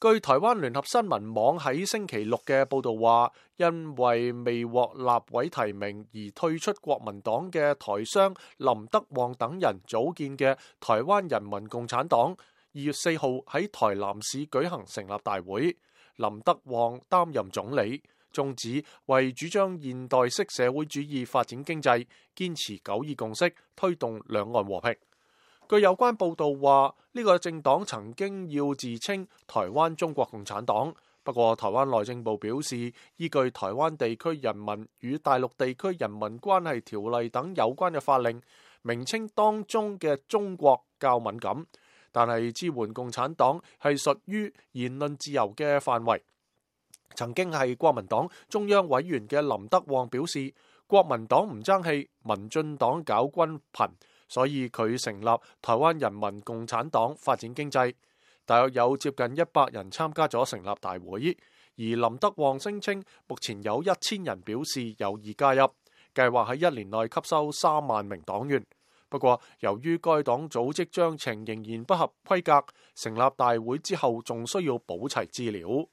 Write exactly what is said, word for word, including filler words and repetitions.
據台灣聯合新聞網喺星期六嘅報道話，因為未獲立委提名而退出國民黨嘅台商林德旺等人組建嘅台灣人民共產黨，二月四號喺台南市舉行成立大會。林德旺擔任總理，宗旨為主張現代式社會主義發展經濟，堅持九二共識，推動兩岸和平。據有關報道話，呢個政黨曾經要自稱台灣中國共產黨，不過台灣內政部表示，依據台灣地區人民與大陸地區人民關係條例等有關嘅法令，名稱當中嘅中國較敏感，但係支援共產黨係屬於言論自由嘅範圍。曾經係國民黨中央委員嘅林德旺表示，國民黨唔爭氣，民進黨搞軍貧，所以佢成立台灣人民共產黨發展經濟。大約有接近一百人參加咗成立大會，而林德旺聲稱目前有一千人表示有意加入，計劃喺一年內吸收三萬名黨員。不過由於該黨組織章程仍然不合規格，成立大會之後仲需要補齊資料。